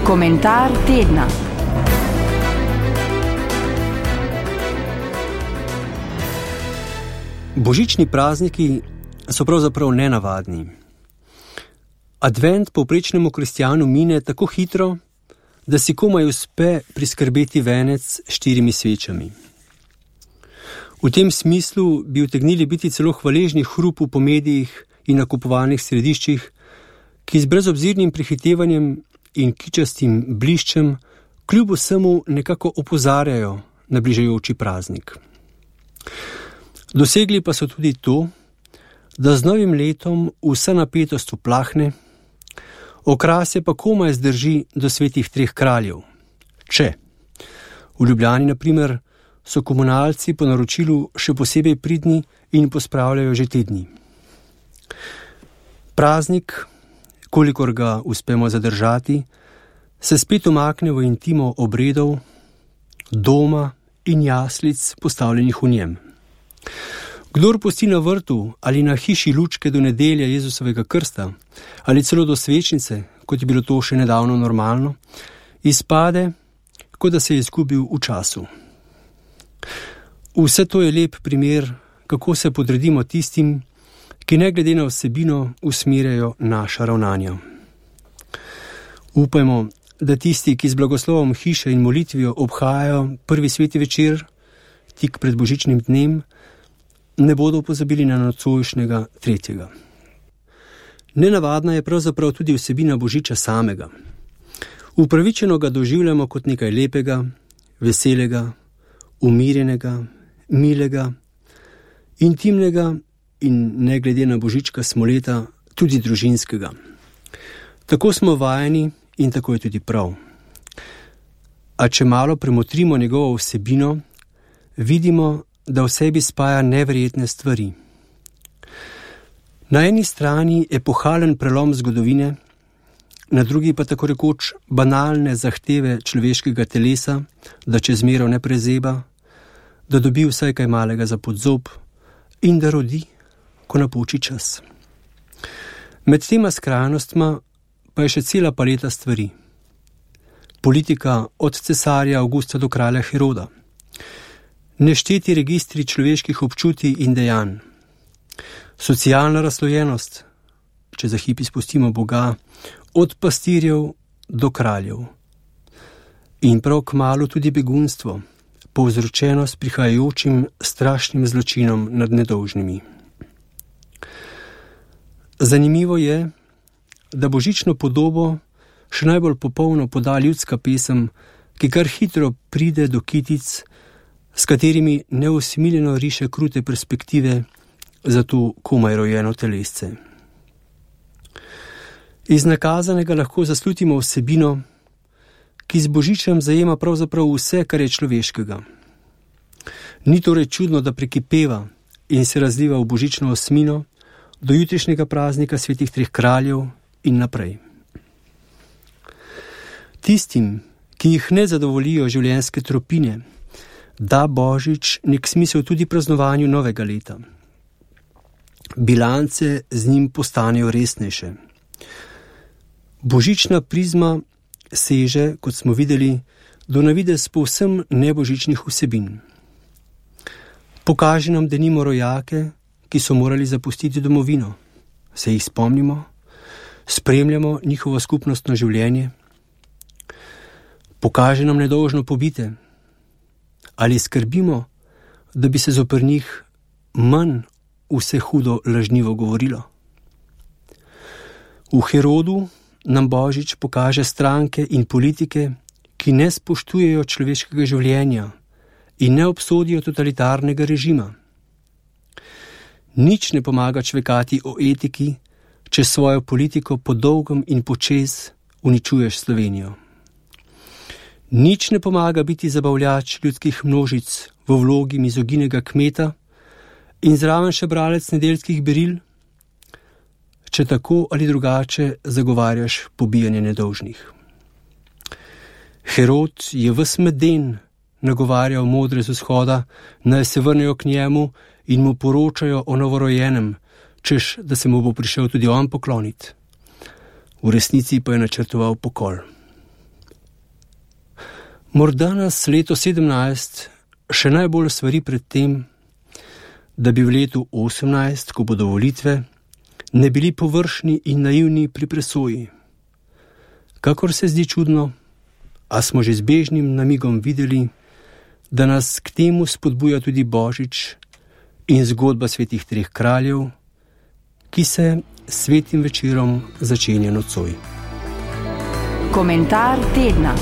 Komentar tedna. Božični prazniki so pravzaprav nenavadni. Advent povprečnemu kristjanu mine tako hitro, da si komaj uspe priskrbeti venec s 4 svečami. V tem smislu bi utegnili biti celo hvaležni hrupu po medijih in nakupovalnih središčih, ki z brezobzirnim prehitevanjem in kičastim bliščem kljub vsemu nekako opozarjajo na bližajoči praznik. Dosegli pa so tudi to, da z novim letom vsa napetost uplahne, okrasje pa komaj zdrži do svetih 3 kraljev. Če v Ljubljani, na primer, so komunalci po naročilu še posebej pridni in pospravljajo že te dni. Praznik, kolikor ga uspemo zadržati, se spet umakne v intimo obredov, doma in jaslic postavljenih v njem. Kdor pusti na vrtu ali na hiši lučke do nedelje Jezusovega krsta ali celo do svečnice, kot je bilo to še nedavno normalno, izpade, kot da se je izgubil v času. Vse to je lep primer, kako se podredimo tistim, ki ne glede na vsebino usmerjajo naša ravnanja. Upajmo, da tisti, ki z blagoslovom hiše in molitvijo obhajajo prvi sveti večer, tik pred božičnim dnem, ne bodo pozabili na nocojšnjega 3. Nenavadna je pravzaprav tudi vsebina božiča samega. Upravičeno ga doživljamo kot nekaj lepega, veselega, umirjenega, milega, intimnega in ne glede na božička smoleta tudi družinskega. Tako smo vajeni in tako je tudi prav. A če malo premotrimo njegovo vsebino, vidimo, da v sebi spaja neverjetne stvari. Na eni strani epohalen prelom zgodovine, na drugi pa tako rekoč banalne zahteve človeškega telesa, da čez mero ne prezeba, da dobi vsaj kaj malega za podzob in da rodi, ko napoči čas. Med tema skrajnostma pa je še cela paleta stvari. Politika od cesarja Avgusta do kralja Heroda, nešteti registri človeških občutij in dejanj, socialna razslojenost, če za hip izpustimo Boga, od pastirjev do kraljev, in prav kmalu tudi begunstvo, povzročeno s prihajajočim strašnim zločinom nad nedolžnimi. Zanimivo je, da božično podobo še najbolj popolno poda ljudska pesem, ki kar hitro pride do kitic, s katerimi neusmiljeno riše krute perspektive za to komaj rojeno telesce. Iz nakazanega lahko zaslutimo vsebino, ki z božičem zajema pravzaprav vse, kar je človeškega. Ni torej čudno, da prekipeva in se razliva v božično osmino do jutrišnjega praznika svetih 3 kraljev in naprej. Tistim, ki jih ne zadovoljijo življenjske tropine, da božič nek smisel tudi praznovanju novega leta. Bilance z njim postanejo resnejše. Božična prizma seže, kot smo videli, do navidez povsem nebožičnih vsebin. Pokaže nam denimo rojake, ki so morali zapustiti domovino. Se jih spomnimo? Spremljamo njihovo skupnostno življenje? Pokaže nam nedolžno pobite? Ali skrbimo, da bi se zoper njih manj vse hudo lažnivo govorilo? V Herodu nam božič pokaže stranke in politike, ki ne spoštujejo človeškega življenja in ne obsodijo totalitarnega režima. Nič ne pomaga čvekati o etiki, če svojo politiko po dolgem in počez uničuješ Slovenijo. Nič ne pomaga biti zabavljač ljudskih množic v vlogi mizoginega kmeta in zraven še bralec nedeljskih beril, če tako ali drugače zagovarjaš pobijanje nedolžnih. Herod je ves meden nagovarjal modre z vzhoda, naj se vrnejo k njemu in mu poročajo o novorojenem, češ, da se mu bo prišel tudi on pokloniti. V resnici pa je načrtoval pokol. Morda nas leto 17 še najbolj svari pred tem, da bi v letu 18, ko bodo volitve, ne bili površni in naivni pri presoji. Kakor se zdi čudno, a smo že z bežnim namigom videli, da nas k temu spodbuja tudi Božič in zgodba svetih treh kraljev, ki se svetim večerom začenja nocoj. Komentar tedna.